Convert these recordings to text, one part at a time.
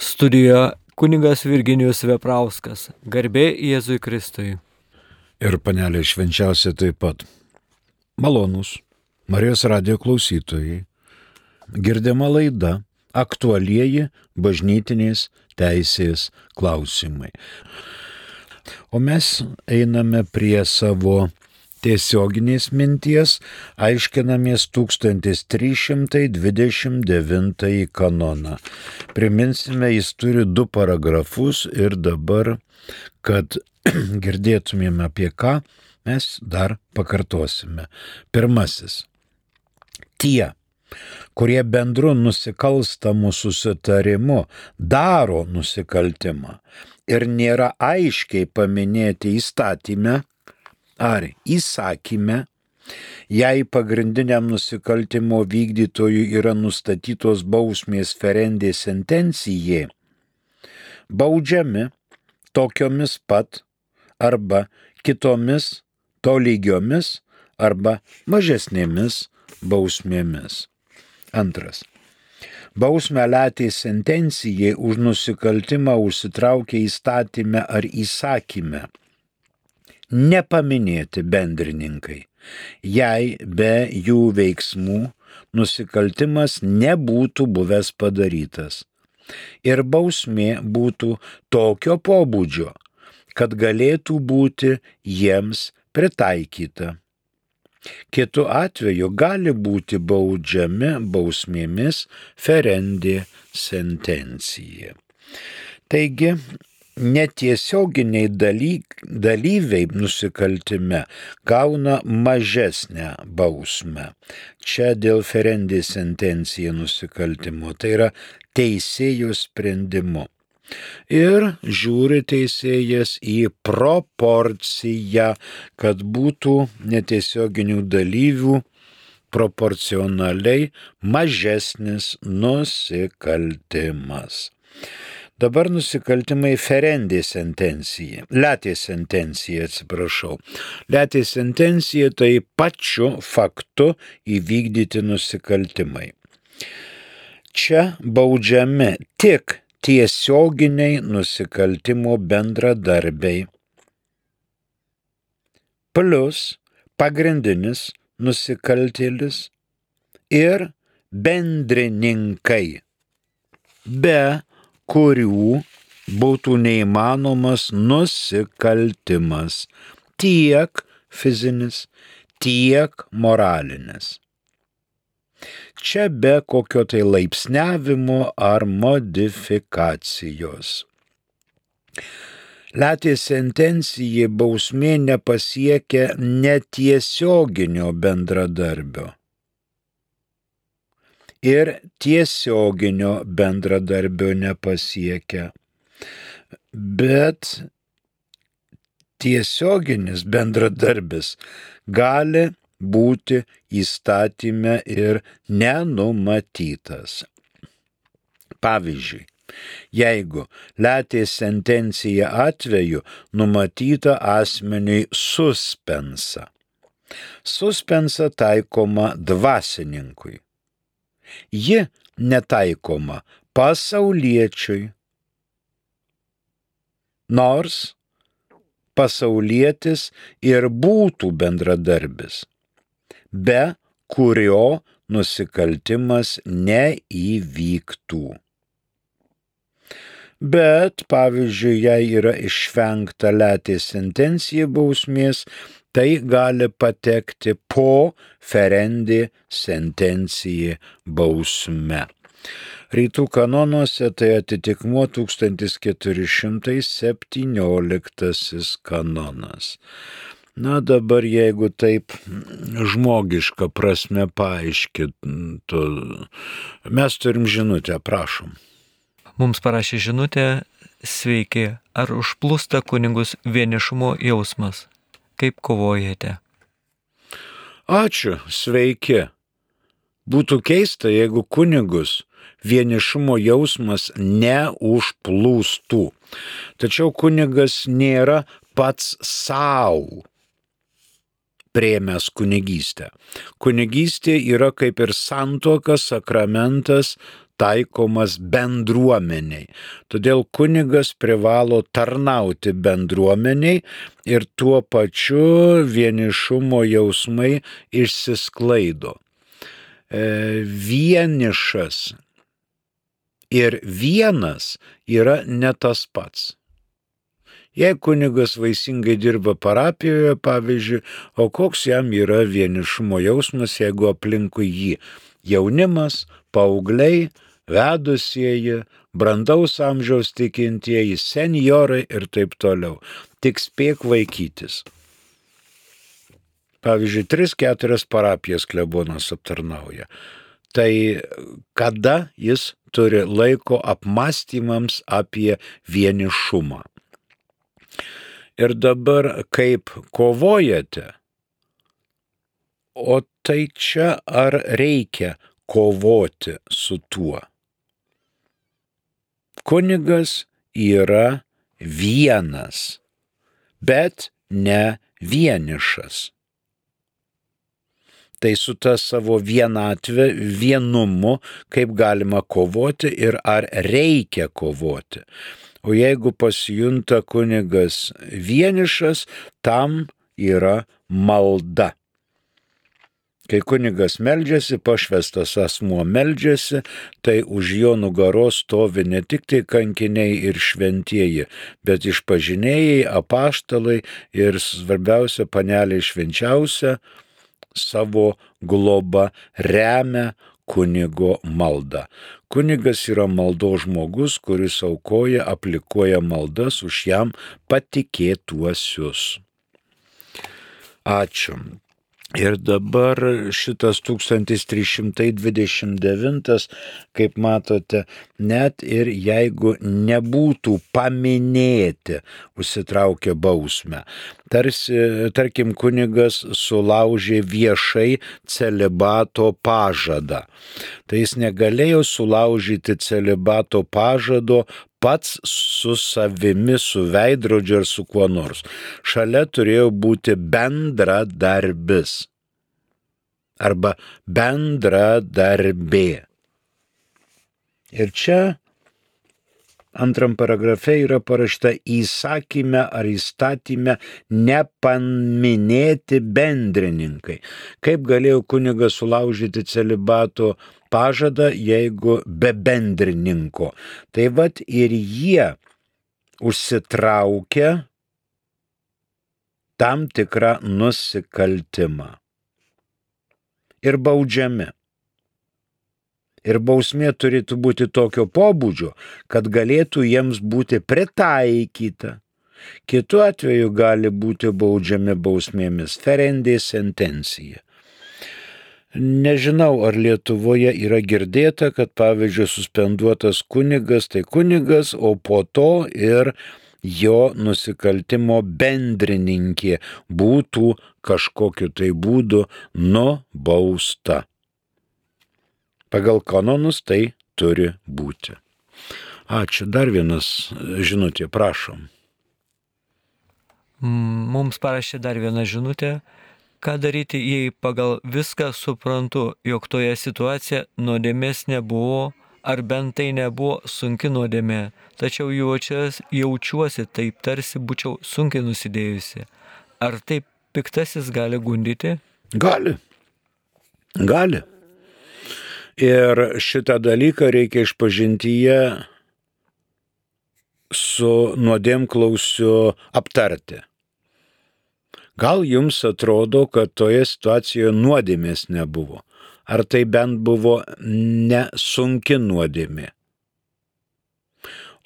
Studijoje kunigas Virginijus Veprauskas. Garbė Jėzui Kristui. Ir panelė švenčiausia taip pat. Malonūs Marijos radijo klausytojai. Girdima laida aktualieji bažnytinės teisės klausimai. O mes einame prie savo tiesioginės minties, aiškinamės 1329 kanoną. Priminsime, jis turi 2 paragrafus ir dabar, kad girdėtumėm apie ką, mes dar pakartosime. Pirmasis. Tie, kurie bendru nusikalstamu susitarimu daro nusikaltimą ir nėra aiškiai paminėti įstatyme ar įsakyme, jei pagrindiniam nusikaltimo vykdytojui yra nustatytos bausmės ferendė sentencijai, baudžiami tokiomis pat arba kitomis tolygiomis arba mažesnėmis bausmėmis. Antras. Bausmę letė sentencijai už nusikaltimą užsitraukia įstatyme ar įsakyme nepaminėti bendrininkai, jei be jų veiksmų nusikaltimas nebūtų buvęs padarytas ir bausmė būtų tokio pobūdžio, kad galėtų būti jiems pritaikyta. Kitu atveju gali būti baudžiami bausmėmis ferendė sentencija. Taigi, netiesioginiai dalyviai nusikaltime gauna mažesnę bausmę. Čia dėl ferendė sentencija nusikaltimo, tai yra teisėjo sprendimu. Ir žiūri teisėjas į proporciją, kad būtų netiesioginių dalyvių proporcionaliai mažesnis nusikaltimas. Dabar nusikaltimai ferendė sentencija, letė sentencija, Letė sentencija tai pačiu faktu įvykdyti nusikaltimai. Čia baudžiami tik tiesioginiai nusikaltimo bendradarbiai, plus pagrindinis nusikaltėlis ir bendrininkai, be kurių būtų neįmanomas nusikaltimas, tiek fizinis, tiek moralinis. Čia be kokio tai laipsniavimo ar modifikacijos. Letė sentencijai bausmė nepasiekia netiesioginio bendradarbio ir tiesioginio bendradarbio nepasiekia, bet tiesioginis bendradarbis gali būti įstatyme ir nenumatytas. Pavyzdžiui, jeigu letės sentencija atveju numatyta asmeniui suspensa. Suspensa taikoma dvasininkui. Ji netaikoma pasauliečiui, nors pasaulietis ir būtų bendradarbis, be kurio nusikaltimas neįvyktų. Bet, pavyzdžiui, jei yra išvengta letės sentencija bausmės, tai gali patekti po ferendė sentencija bausme. Rytų kanonuose tai atitikmuo 1417 kanonas. Na dabar jeigu taip žmogiška prasme paaiškintų, mes turim žinutę, prašom. Mums parašė žinutę, sveiki, ar užplūsta kunigus vienišumo jausmas? Kaip kovojate? Ačiū, sveiki. Būtų keista, jeigu kunigus vienišumo jausmas neužplūstų. Tačiau kunigas nėra pats savo priėmęs kunigystę. Kunigystė yra kaip ir santuoka, sakramentas, taikomas bendruomeniai. Todėl kunigas privalo tarnauti bendruomeniai ir tuo pačiu vienišumo jausmai išsisklaido. Vienišas ir vienas yra ne tas pats. Jei kunigas vaisingai dirba parapijoje, pavyzdžiui, o koks jam yra vienišumo jausmas, jeigu aplinkui jį jaunimas, paaugliai, vedusieji, brandaus amžiaus tikintieji, senjorai ir taip toliau. Tik spėk vaikytis. Pavyzdžiui, 3-4 parapijas klebonas aptarnauja. Tai kada jis turi laiko apmąstymams apie vienišumą? Ir dabar kaip kovojate? O tai čia ar reikia kovoti su tuo? Kunigas yra vienas, bet ne vienišas. Tai su ta savo vienatve, vienumu, kaip galima kovoti ir ar reikia kovoti. O jeigu pasijunta kunigas vienišas, tam yra malda. Kai kunigas meldžiasi, pašvestas asmuo meldžiasi, tai už jo nugaros stovi ne tik tai kankiniai ir šventieji, bet išpažinėjai, apaštalai ir svarbiausia panelė švenčiausia savo globą remia kunigo maldą. Kunigas yra maldos žmogus, kuris aukoja, aplikuoja maldas už jam patikėtuosius. Ačiū. Ir dabar šitas 1329, kaip matote, net ir jeigu nebūtų paminėti, užsitraukia bausmę. Tarkim, kunigas sulaužė viešai celibato pažadą. Tai jis negalėjo sulaužyti celibato pažado pats su savimi, su veidrodžiu ar su kuo nors. Šalia turėjo būti bendradarbis arba bendradarbė. Ir čia antram paragrafe yra parašta įsakyme ar įstatyme nepaminėti bendrininkai. Kaip galėjo kunigas sulaužyti celibato pažadą, jeigu be bendrininko? Tai vat ir jie užsitraukia tam tikrą nusikaltimą ir baudžiami. Ir bausmė turėtų būti tokio pobūdžio, kad galėtų jiems būti pritaikyta. Kitu atveju gali būti baudžiami bausmėmis ferendė sentencija. Nežinau, ar Lietuvoje yra girdėta, kad pavyzdžiui suspenduotas kunigas, tai kunigas, o po to ir jo nusikaltimo bendrininkė būtų kažkokiu tai būdu nubausta. Pagal kanonus tai turi būti. Ačiū. Dar vienas žinutė, prašom. Mums parašė dar vieną žinutę. Ką daryti, jei pagal viską suprantu, jog toje situacijoje nuodėmės nebuvo, ar bent tai nebuvo sunki nuodėmė, tačiau jaučiuosi taip, tarsi būčiau sunkiai nusidėjusi. Ar taip piktasis gali gundyti? Gali. Ir šitą dalyką reikia išpažintyje su nuodėmklausiu aptarti. Gal jums atrodo, kad toje situacijoje nuodėmės nebuvo? Ar tai bent buvo nesunki nuodėmė?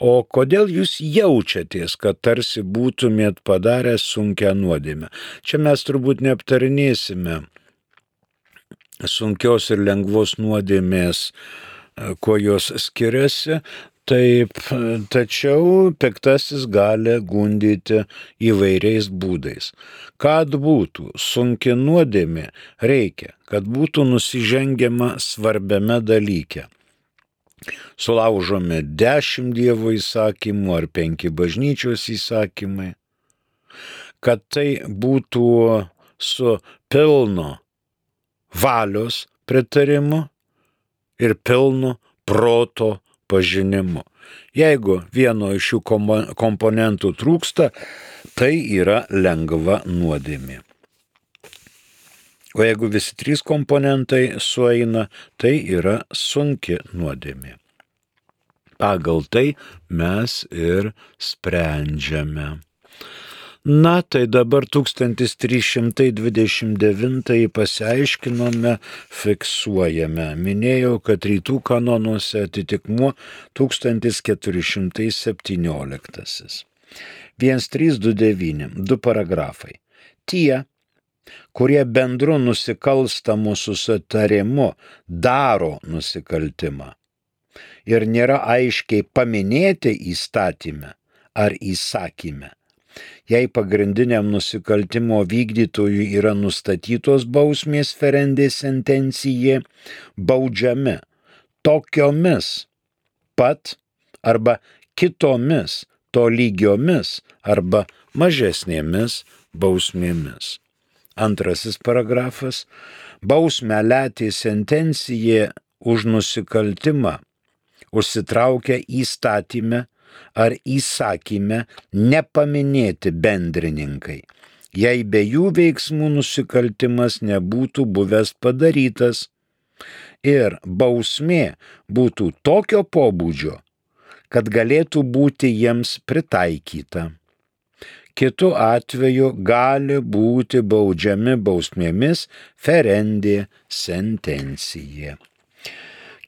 O kodėl jūs jaučiatės, kad tarsi būtumėt padarę sunkią nuodėmę? Čia mes turbūt neaptarinėsime sunkios ir lengvos nuodėmės, kuo jos skiriasi. Taip, tačiau piktasis gali gundyti įvairiais būdais. Kad būtų sunki nuodėmė, reikia, kad būtų nusižengiama svarbiame dalyke. Sulaužomi 10 Dievo įsakymų ar 5 bažnyčios įsakymai. Kad tai būtų su pilno valios pritarimu ir pilnu proto pažinimu. Jeigu vieno iš šių komponentų trūksta, tai yra lengva nuodėmė. O jeigu visi trys komponentai sueina, tai yra sunki nuodėmė. Pagal tai mes ir sprendžiame. Na, tai dabar 1329 pasiaiškinome, fiksuojame. Minėjau, kad rytų kanonuose atitikmuo 1417. 1329, 2 paragrafai. Tie, kurie bendru nusikalstamu susitarimu daro nusikaltimą ir nėra aiškiai paminėti įstatyme ar įsakyme, jei pagrindiniam nusikaltimo vykdytojui yra nustatytos bausmės ferendė sentencija, baudžiami tokiomis pat arba kitomis tolygiomis arba mažesnėmis bausmėmis. Antrasis paragrafas. Bausmę letė sentencija už nusikaltimą užsitraukia įstatyme ar įsakyme nepaminėti bendrininkai, jei be jų veiksmų nusikaltimas nebūtų buvęs padarytas ir bausmė būtų tokio pobūdžio, kad galėtų būti jiems pritaikyta. Kitu atveju gali būti baudžiami bausmėmis ferendė sentencija.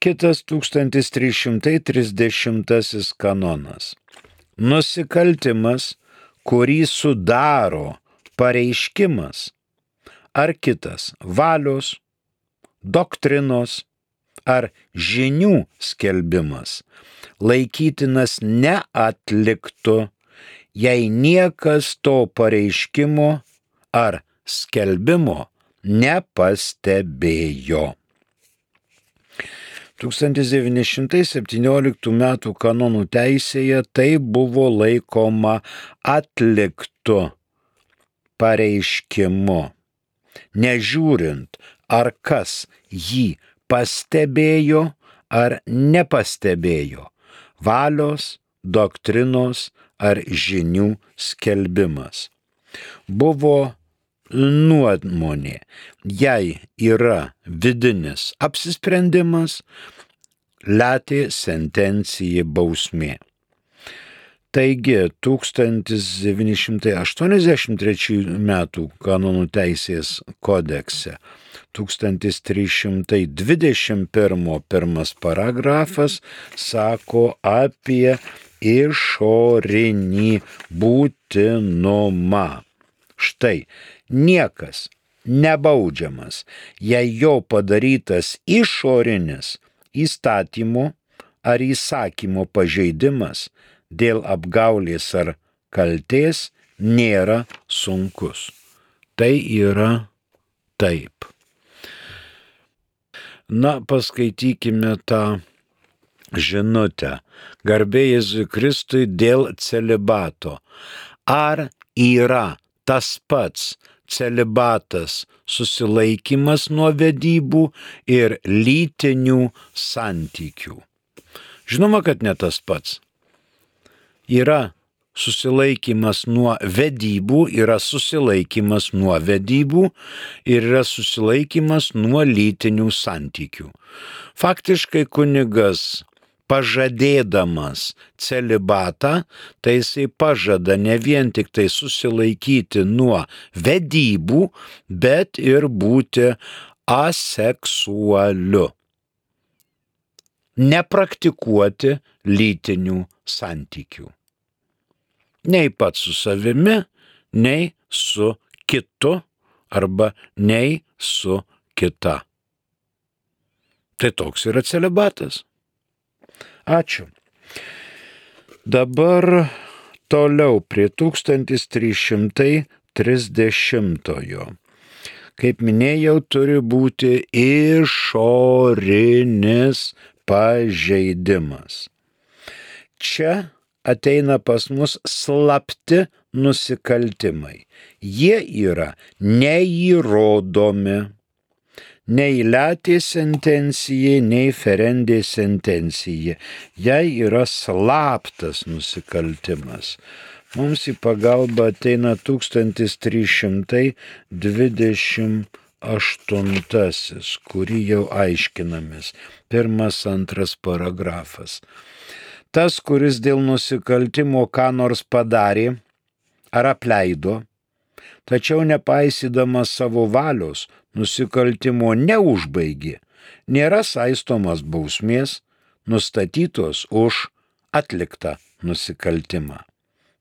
Kitas 1330 kanonas. Nusikaltimas, kurį sudaro pareiškimas ar kitas valios, doktrinos ar žinių skelbimas, laikytinas neatliktu, jei niekas to pareiškimo ar skelbimo nepastebėjo. 1917 m. kanonų teisėje tai buvo laikoma atliktu pareiškimu, nežiūrint, ar kas jį pastebėjo ar nepastebėjo, valios, doktrinos ar žinių skelbimas. Buvo nuomonė, jei yra vidinis apsisprendimas, letė sentencija bausmė. Taigi 1983 m. kanonų teisės kodekse 1321 pirmas paragrafas sako apie išorinį būtinumą. Štai, niekas nebaudžiamas, jei jo padarytas išorinis įstatymo ar įsakymo pažeidimas dėl apgaulės ar kaltės nėra sunkus. Tai yra taip. Na, paskaitykime tą žinutę. Garbė Jėzui Kristui dėl celibato. Ar yra tas pats celibatas susilaikymas nuo vedybų ir lytinių santykių? Žinoma, kad ne tas pats. Yra susilaikymas nuo vedybų, yra susilaikymas nuo vedybų ir yra susilaikymas nuo lytinių santykių. Faktiškai kunigas pažadėdamas celibatą, tai jisai pažada ne vien tik tai susilaikyti nuo vedybų, bet ir būti aseksualiu. Nepraktikuoti lytinių santykių. Nei pats su savimi, nei su kitu arba nei su kita. Tai toks yra celibatas. Ačiū. Dabar toliau prie 1330-ojo. Kaip minėjau, turi būti išorinis pažeidimas. Čia ateina pas mus slapti nusikaltimai. Jie yra neįrodomi, nei letė sentencijai, nei ferendė sentencijai. Jei yra slaptas nusikaltimas. Mums į pagalbą ateina 1328, kurį jau aiškinamės. 1-2 paragrafas. Tas, kuris dėl nusikaltimo ką nors padarė ar apleido, tačiau nepaisydamas savo valios nusikaltimo neužbaigė, nėra saistomas bausmės, nustatytos už atliktą nusikaltimą.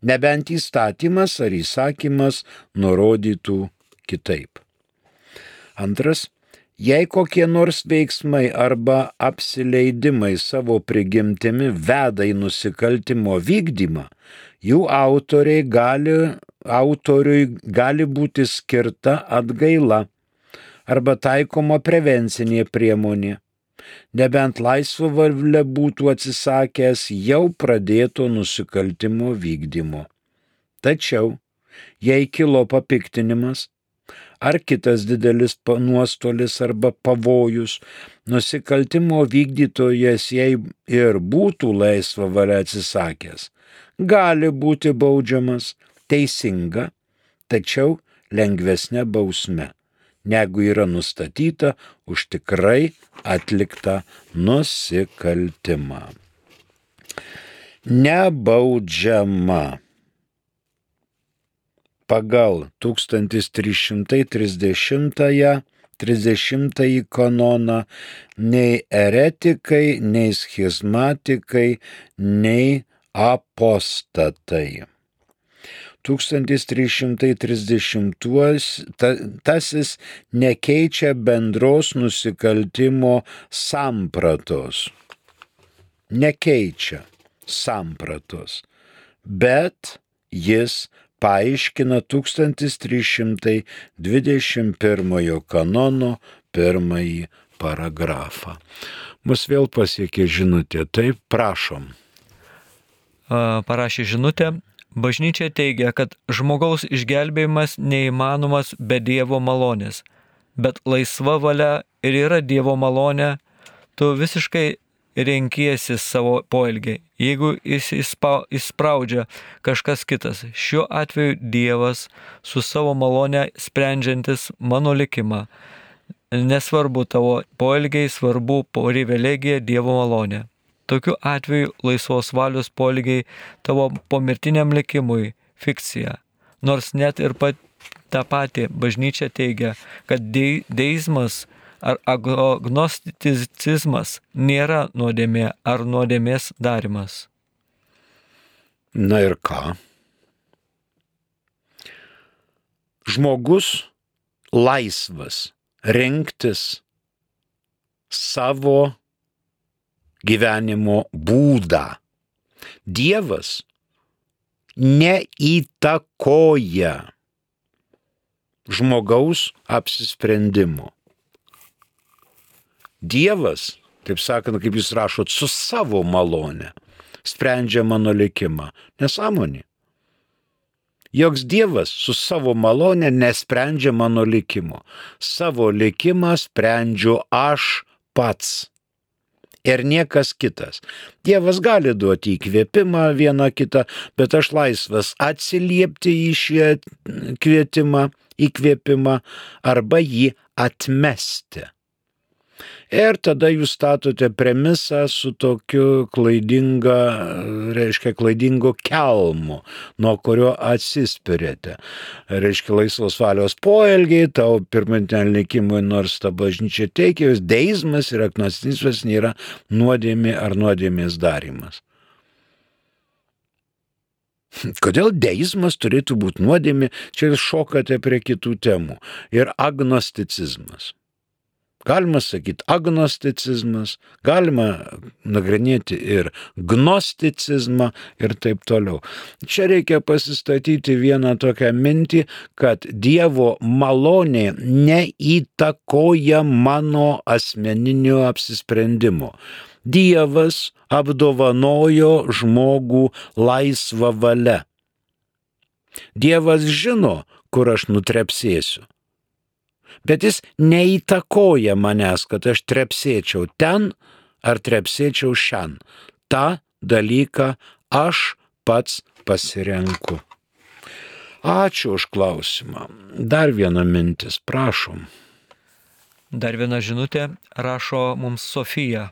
Nebent įstatymas ar įsakymas nurodytų kitaip. Antras, jei kokie nors veiksmai arba apsileidimai savo prigimtimi veda į nusikaltimo vykdymą, jų autoriui gali būti skirta atgaila arba taikoma prevencinė priemonė, nebent laisva valia būtų atsisakęs jau pradėto nusikaltimo vykdymo. Tačiau, jei kilo papiktinimas ar kitas didelis nuostolis arba pavojus, nusikaltimo vykdytojas jei ir būtų laisva valia atsisakęs, gali būti baudžiamas teisinga, tačiau lengvesnė bausme, negu yra nustatyta už tikrai atliktą nusikaltimą. Nebaudžiama. Pagal 1330 kanoną nei eretikai, nei schizmatikai, nei apostatai. 1330 nekeičia bendros nusikaltimo sampratos. Nekeičia sampratos, bet jis paaiškina 1321 kanono 1 paragrafą. Mus vėl pasiekė žinutė, taip prašom. Parašė žinutę. Bažnyčia teigia, kad žmogaus išgelbėjimas neįmanomas be Dievo malonės, bet laisva valia ir yra Dievo malonė, tu visiškai renkiesi savo poelgį, jeigu jis įspraudžia kažkas kitas. Šiuo atveju Dievas su savo malonė sprendžiantis mano likimą. Nesvarbu tavo poelgiai, svarbu privilegija Dievo malonė. Tokiu atveju laisvos valios poelgiai tavo pomirtiniam likimui fikcija. Nors net ir tą patį bažnyčia teigia, kad deizmas ar agnosticizmas nėra nuodėmė ar nuodėmės darimas. Na ir ką? Žmogus laisvas rinktis savo gyvenimo būdą. Dievas neįtakoja žmogaus apsisprendimo. Dievas, taip sakant, kaip jūs rašot, su savo malone sprendžia mano likimą. Nesąmonė. Joks Dievas su savo malone nesprendžia mano likimo. Savo likimą sprendžiu aš pats. Ir niekas kitas. Dievas gali duoti įkvėpimą vieną kitą, bet aš laisvas atsiliepti į šį kvietimą, įkvėpimą arba jį atmesti. Ir tada jūs statote premisą su tokiu klaidingu kelmu, nuo kurio atsispirėte. Reiškia laisvos valios poelgiai, tau pirminiam likimui, nors ta bažnyčia teikia, jos deizmas ir agnosticizmas nėra nuodėmė ar nuodėmės darymas. Kodėl deizmas turėtų būti nuodėmė? Čia jūs šokate prie kitų temų. Ir agnosticizmas. Galima sakyti agnosticizmas, galima nagrinėti ir gnosticizmą ir taip toliau. Čia reikia pasistatyti vieną tokią mintį, kad Dievo malonė neįtakoja mano asmeninio apsisprendimo. Dievas apdovanojo žmogų laisvą valią. Dievas žino, kur aš nutrepsėsiu. bet jis neįtakoja manęs, kad aš trepsėčiau ten ar trepsėčiau šian. Ta dalyką aš pats pasirenku. Ačiū už klausimą. Dar viena mintis, prašom. Dar viena žinutė rašo mums Sofija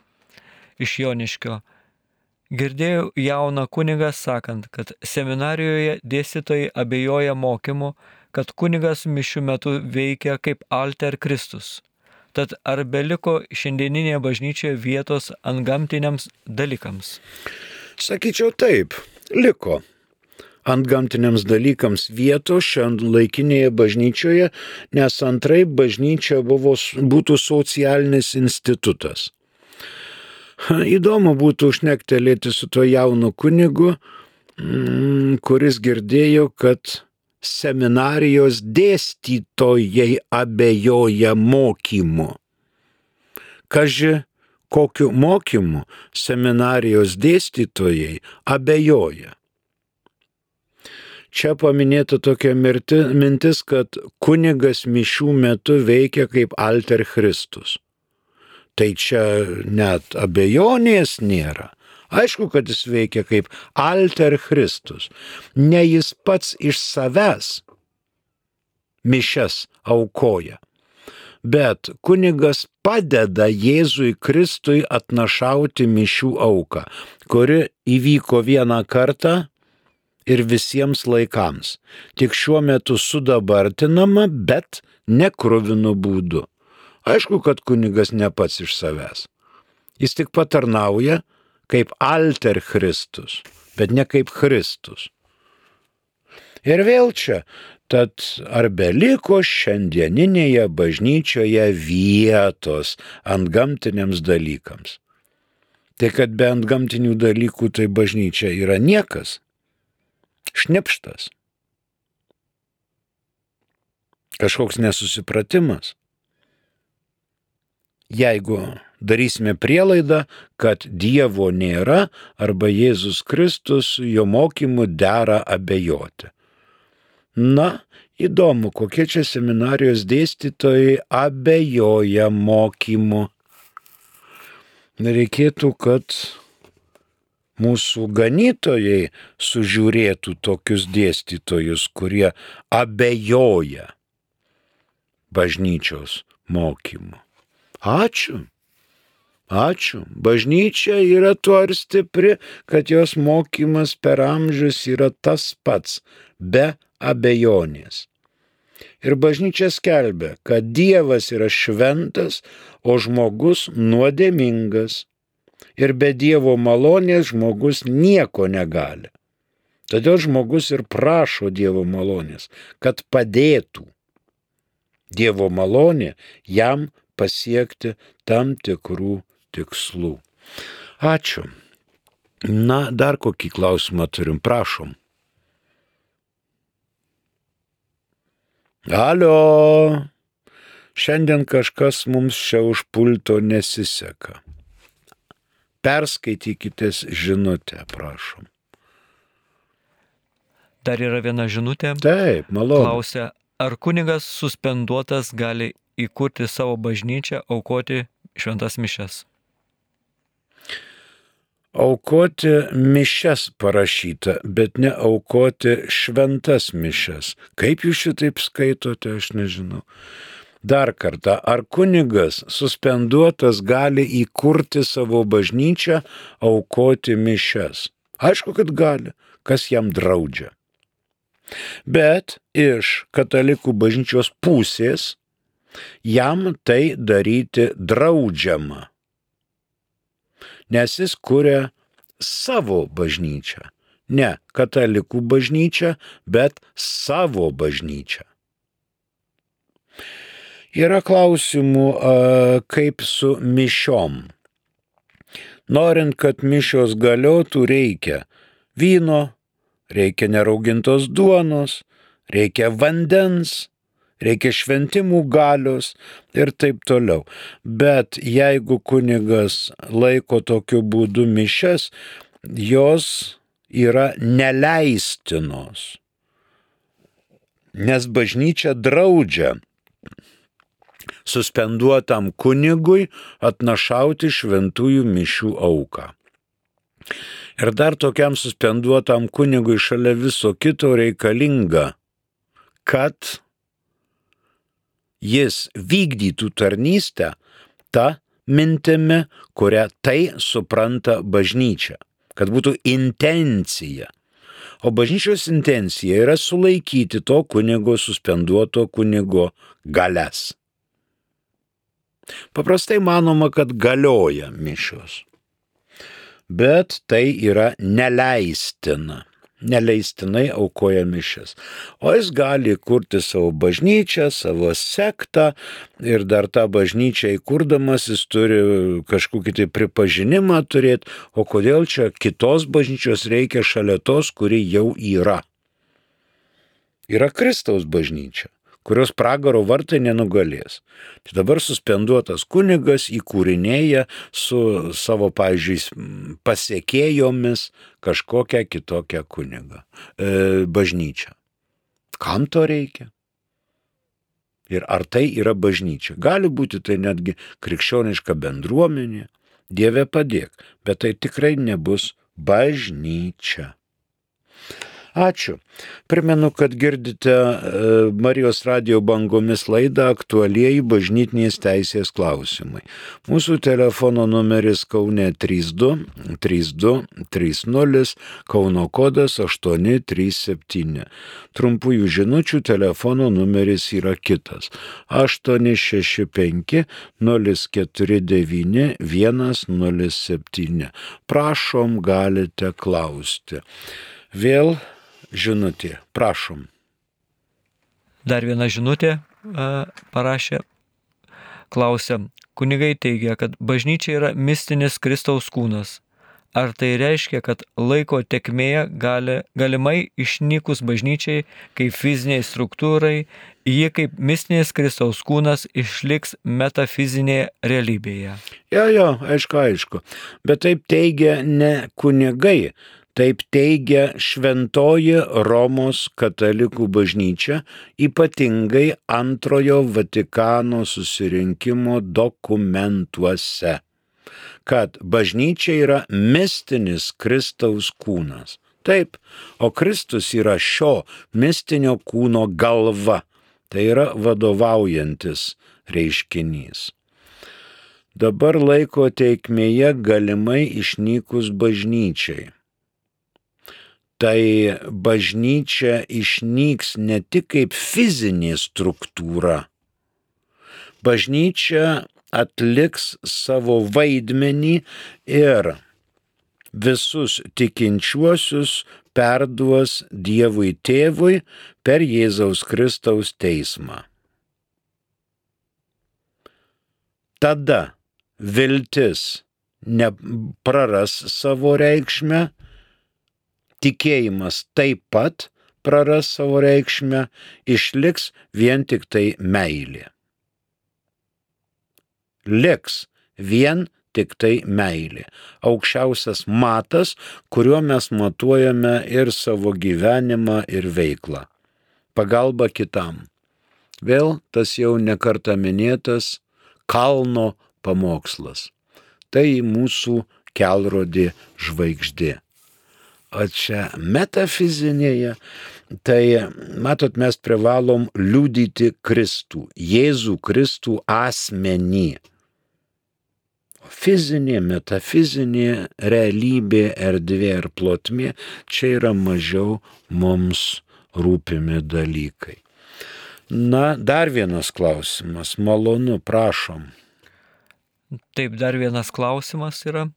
iš Joniškio. Girdėjau jauną kunigą sakant, kad seminarijoje dėstytojai abejoja mokymu, kad kunigas mišių metu veikia kaip alter Kristus. Tad ar beliko šiandieninėje bažnyčioje vietos antgamtiniams dalykams? Sakyčiau taip, liko. Antgamtiniams dalykams vietos šianlaikinėje bažnyčioje, nes antraip bažnyčia būtų socialinis institutas. Įdomu būtų užnektelėti su tuo jaunu kunigu, kuris girdėjo, kad seminarijos dėstytojai abejoja mokymu. Kaži, kokiu mokymu seminarijos dėstytojai abejoja. Čia paminėta tokia mintis, kad kunigas mišių metu veikia kaip alter Kristus. Tai čia net abejonės nėra. Aišku, kad jis veikia kaip alter Kristus. Ne jis pats iš savęs mišias aukoja, bet kunigas padeda Jėzui Kristui atnašauti mišių auką, kuri įvyko vieną kartą ir visiems laikams. Tik šiuo metu sudabartinama, bet nekruvinu būdu. Aišku, kad kunigas ne pats iš savęs. Jis tik patarnauja kaip alter Kristus, bet ne kaip Kristus. Ir vėl čia, tad ar beliko šiandieninėje bažnyčioje vietos antgamtiniams dalykams? Tai kad be antgamtinių dalykų tai bažnyčia yra niekas. Šnipštas. Kažkoks nesusipratimas. Jeigu darysime prielaidą, kad Dievo nėra arba Jėzus Kristus jo mokymu dera abejoti. Na, įdomu, kokie čia seminarijos dėstytojai abejoja mokymu. Reikėtų, kad mūsų ganytojai sužiūrėtų tokius dėstytojus, kurie abejoja bažnyčios mokymu. Ačiū. Bažnyčia yra tuo ir stipri, kad jos mokymas per amžius yra tas pats, be abejonės. Ir bažnyčia skelbia, kad Dievas yra šventas, o žmogus nuodėmingas. Ir be Dievo malonės žmogus nieko negali. Todėl žmogus ir prašo Dievo malonės, kad padėtų. Dievo malonė jam pasiekti tam tikrų tikslų. Ačiū. Na, dar kokį klausimą turim, prašom. Alio, šiandien kažkas mums čia už pulto nesiseka. Perskaitykitės žinutę, prašom. Dar yra viena žinutė. Taip, malonu. Klausia, ar kunigas suspenduotas gali įkurti savo bažnyčią, aukoti šventas mišias? Aukoti mišias parašyta, bet ne aukoti šventas mišias. Kaip jūs šitaip skaitote, aš nežinau. Dar kartą, ar kunigas suspenduotas gali įkurti savo bažnyčią, aukoti mišias? Aišku, kad gali, kas jam draudžia. Bet iš katalikų bažnyčios pusės jam tai daryti draudžiama, nes jis kuria savo bažnyčią. Ne katalikų bažnyčią, bet savo bažnyčią. Yra klausimų, kaip su mišiom. Norint, kad mišios galiotų, reikia vyno, reikia neraugintos duonos, reikia vandens, reikia šventimų galios ir taip toliau. Bet jeigu kunigas laiko tokiu būdu mišias, jos yra neleistinos, nes bažnyčia draudžia suspenduotam kunigui atnašauti šventųjų mišių auką. Ir dar tokiam suspenduotam kunigui šalia viso kito reikalinga, kad jis vykdytų tarnystę tą mintimi, kurią tai supranta bažnyčia, kad būtų intencija. O bažnyčios intencija yra sulaikyti to kunigo, suspenduoto kunigo galias. Paprastai manoma, kad galioja mišios, bet tai yra neleistina. Neleistinai aukoja mišias. O jis gali kurti savo bažnyčią, savo sektą ir dar tą bažnyčią įkurdamas jis turi kažkokį tai pripažinimą turėti, o kodėl čia kitos bažnyčios reikia šalia tos, kuri jau yra. Yra Kristaus bažnyčia, kurios pragaro vartai nenugalės. Tai dabar suspenduotas kunigas įkūrinėja su savo, pavyzdžiui, pasiekėjomis kažkokią kitokią bažnyčią. Kam to reikia? Ir ar tai yra bažnyčia? Gali būti tai netgi krikščioniška bendruomenė, Dieve padėk, bet tai tikrai nebus bažnyčia. Ačiū. Primenu, kad girdite Marijos radijo bangomis laidą Aktualieji bažnytinės teisės klausimai. Mūsų telefono numeris Kaune 32 32 30, Kauno kodas 837. Trumpųjų žinučių telefono numeris yra kitas 865 049 107. Prašom, galite klausti. Vėl žinutė, prašom. Dar viena žinutė parašė, klausia, kunigai teigia, kad bažnyčia yra mistinis Kristaus kūnas. Ar tai reiškia, kad laiko tekmėje galimai išnykus bažnyčiai kaip fiziniai struktūrai, ji kaip mistinis Kristaus kūnas išliks metafizinėje realybėje? Jo, aišku. Bet taip teigia ne kunigai. Taip teigia Šventoji Romos katalikų bažnyčia, ypatingai Antrojo Vatikano susirinkimo dokumentuose, kad bažnyčia yra mistinis Kristaus kūnas. Taip, o Kristus yra šio mistinio kūno galva, tai yra vadovaujantis reiškinys. Dabar laiko tėkmėje galimai išnykus bažnyčiai. Tai bažnyčia išnyks ne tik kaip fizinė struktūra. Bažnyčia atliks savo vaidmenį ir visus tikinčiuosius perduos Dievui Tėvui per Jėzaus Kristaus teismą. Tada viltis nepraras savo reikšmę, tikėjimas taip pat praras savo reikšmę, išliks vien tik tai meilė. Liks vien tik tai meilė. Aukščiausias matas, kuriuo mes matuojame ir savo gyvenimą, ir veiklą. Pagalba kitam. Vėl tas jau nekartą minėtas kalno pamokslas. Tai mūsų kelrodė žvaigždė. O čia metafizinėje, tai, matot, mes privalom liudyti Kristų, Jėzų Kristų asmenį. Fizinė, metafizinė realybė, erdvė ir plotmė, čia yra mažiau mums rūpimi dalykai. Na, dar vienas klausimas, malonu, prašom. Taip, dar vienas klausimas yra.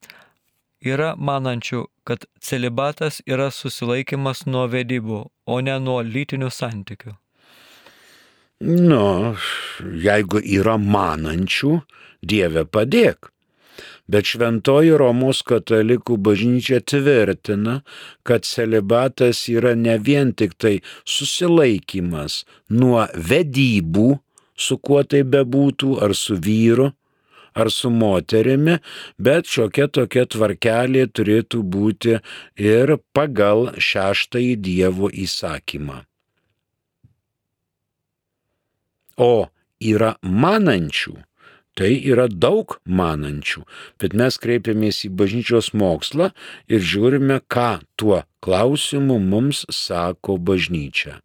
Yra manančių, kad celibatas yra susilaikimas nuo vedybų, o ne nuo lytinių santykių. Jeigu yra manančių, Dieve padėk. Bet Šventoji Romos katalikų bažnyčia tvirtina, kad celibatas yra ne vien tik tai susilaikimas nuo vedybų, su kuo tai bebūtų, ar su vyru, ar su moterimi, bet šiokia tokia tvarkelė turėtų būti ir pagal 6 Dievo įsakymą. O yra manančių. Tai yra daug manančių, bet mes kreipiamės į bažnyčios mokslą ir žiūrime, ką tuo klausimu mums sako bažnyčia.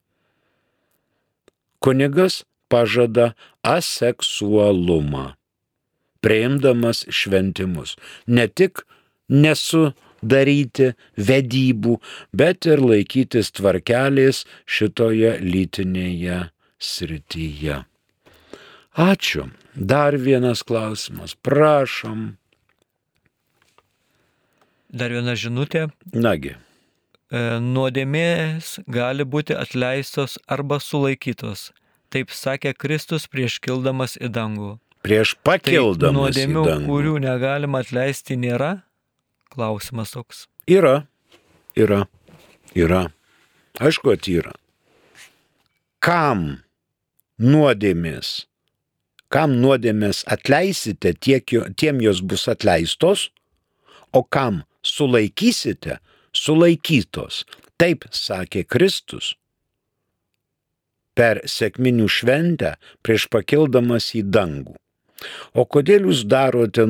Kunigas pažada aseksualumą, priimdamas šventimus. Ne tik nesudaryti vedybų, bet ir laikytis tvarkelės šitoje lytinėje srityje. Ačiū. Dar vienas klausimas. Prašom. Dar viena žinutė. Nagi. Nuodėmės gali būti atleistos arba sulaikytos. Taip sakė Kristus prieš kildamas į dangų. Prieš pakildamas į nuodėmių, dangų. kurių negalima atleisti, nėra? Klausimas toks. Yra. Aišku, kad yra. Kam nuodėmės atleisite, tiem jos bus atleistos, o kam sulaikysite, sulaikytos. Taip sakė Kristus per sekminių šventę prieš pakildamas į dangų. O kodėl jūs darote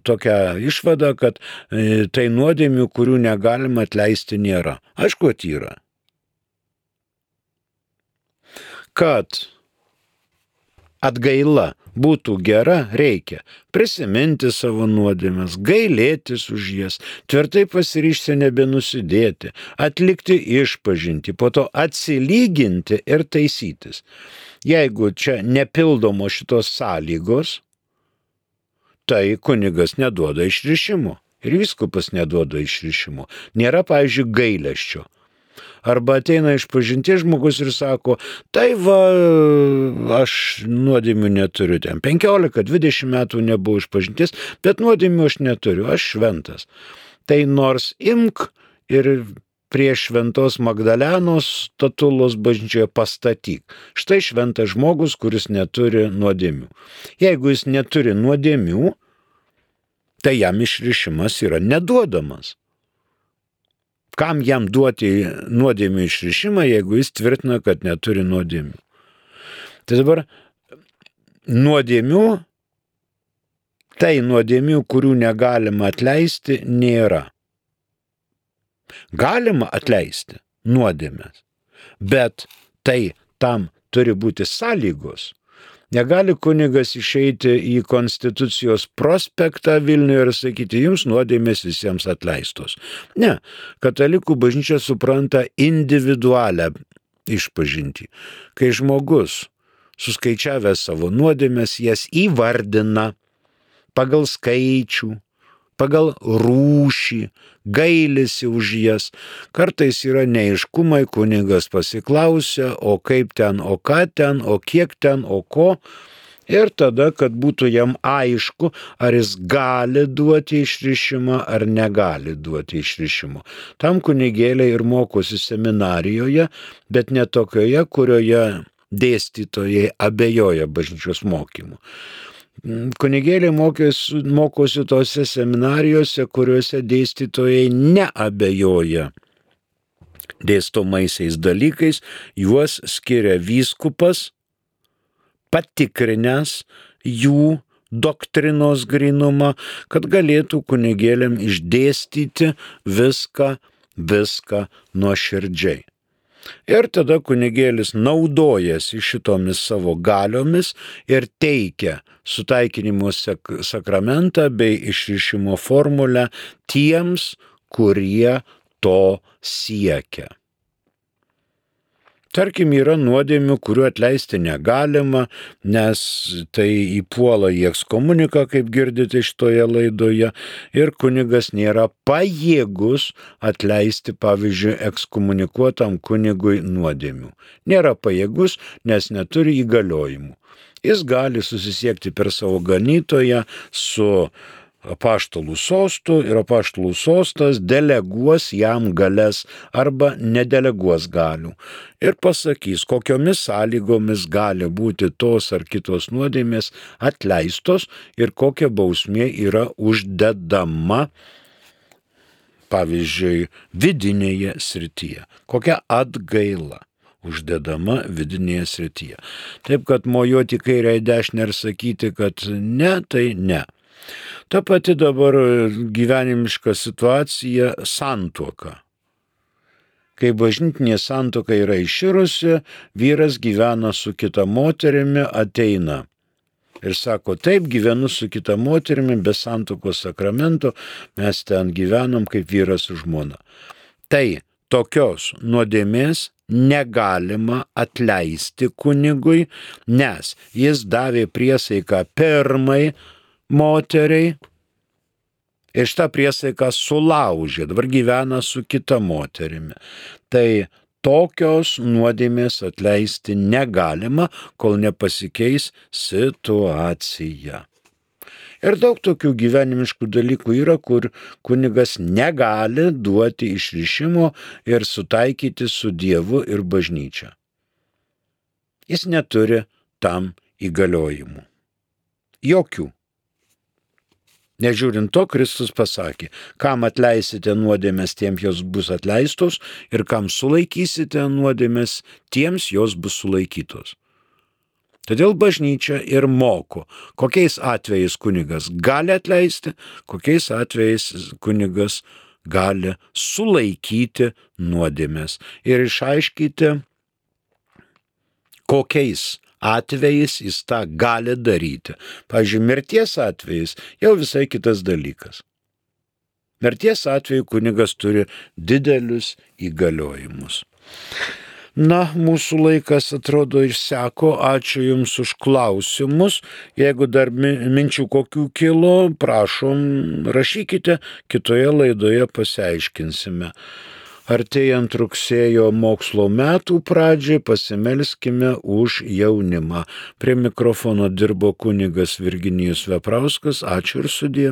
tokią išvadą, kad tai nuodėmių, kurių negalima atleisti, nėra? Aišku, kad yra. Kad atgaila būtų gera, reikia prisiminti savo nuodėmes, gailėtis už jas, tvirtai pasiryžti nebenusidėti, atlikti išpažintį, po to atsilyginti ir taisytis. Jeigu čia nepildomo šitos sąlygos, tai kunigas neduoda išrišimo ir vyskupas neduoda išrišimo. Nėra, pavyzdžiui, gailesčio. Arba ateina išpažinties žmogus ir sako, tai va, aš nuodėmių neturiu ten. 15-20 metų nebuvau išpažinties, bet nuodėmių aš neturiu, aš šventas. Tai nors imk ir prie šventos Magdalenos statulos bažnyčioje pastatyk. Štai šventas žmogus, kuris neturi nuodėmių. Jeigu jis neturi nuodėmių, tai jam išrišimas yra neduodamas. Kam jam duoti nuodėmių išrišimą, jeigu jis tvirtina, kad neturi nuodėmių? Tai dabar nuodėmių, kurių negalima atleisti, nėra. Galima atleisti nuodėmes, bet tai tam turi būti sąlygos. Negali kunigas išeiti į Konstitucijos prospektą Vilniuje ir sakyti, jums nuodėmės visiems atleistos. Ne, katalikų bažnyčia supranta individualią išpažintį. Kai žmogus, suskaičiavęs savo nuodėmės, jas įvardina pagal skaičių, pagal rūšį, gailisi už jas. Kartais yra neaiškumai, kunigas pasiklausia, o kaip ten, o ką ten, o kiek ten, o ko. Ir tada, kad būtų jam aišku, ar jis gali duoti išrišimą, ar negali duoti išrišimo. Tam kunigėliai ir mokosi seminarijoje, bet ne tokioje, kurioje dėstytojai abejoja bažnyčios mokymu. Kunigėliai mokosi tose seminarijose, kuriuose dėstytojai neabejoja dėstomaisiais dalykais, juos skiria vyskupas, patikrinęs jų doktrinos grynumą, kad galėtų kunigėliam išdėstyti viską nuoširdžiai. Ir tada kunigėlis naudojasi šitomis savo galiomis ir teikia sutaikinimo sakramentą bei išrišimo formulę tiems, kurie to siekia. Tarkim, yra nuodėmių, kurių atleisti negalima, nes tai įpuola į ekskomuniką, kaip girdite šitoje laidoje, ir kunigas nėra pajėgus atleisti, pavyzdžiui, ekskomunikuotam kunigui nuodėmių. Nėra pajėgus, nes neturi įgaliojimų. Jis gali susisiekti per savo ganytoją su apaštalų sostu ir apaštalų sostas deleguos jam galias arba nedeleguos galių ir pasakys, kokiomis sąlygomis gali būti tos ar kitos nuodėmės atleistos ir kokia bausmė yra uždedama, pavyzdžiui, vidinėje srityje, kokia atgaila. uždedama vidinėje srityje. Taip, kad mojuoti kairę į dešinę ir sakyti, kad ne, tai ne. Ta pati dabar gyvenimiška situacija - santuoka. Kai bažnytinė santuoka yra iširusi, vyras gyvena su kita moterimi, ateina ir sako, taip, gyvenu su kita moterimi, be santuokos sakramento, mes ten gyvenam kaip vyras su žmona. Tai tokios nuodėmės negalima atleisti kunigui, nes jis davė priesaiką pirmai moteriai ir šitą priesaiką sulaužė, dabar gyvena su kita moterimi. Tai tokios nuodėmės atleisti negalima, kol nepasikeis situacija. Ir daug tokių gyvenimiškų dalykų yra, kur kunigas negali duoti išrišimo ir sutaikyti su Dievu ir bažnyčia. Jis neturi tam įgaliojimų. Jokių. Nežiūrint to, Kristus pasakė, kam atleisite nuodėmės, tiems jos bus atleistos, ir kam sulaikysite nuodėmės, tiems jos bus sulaikytos. Todėl bažnyčia ir moko, kokiais atvejais kunigas gali atleisti, kokiais atvejais kunigas gali sulaikyti nuodėmės ir išaiškyti, kokiais atvejais jis tą gali daryti. Pavyzdžiui, mirties atvejais jau visai kitas dalykas. Mirties atveju kunigas turi didelius įgaliojimus. Na, mūsų laikas atrodo išseko. Ačiū Jums už klausimus. Jeigu dar minčių kokių kilo, prašom, rašykite, kitoje laidoje pasiaiškinsime. Artėjant rugsėjo mokslo metų pradžiai pasimelskime už jaunimą. Prie mikrofono dirbo kunigas Virginijus Veprauskas. Ačiū ir sudie.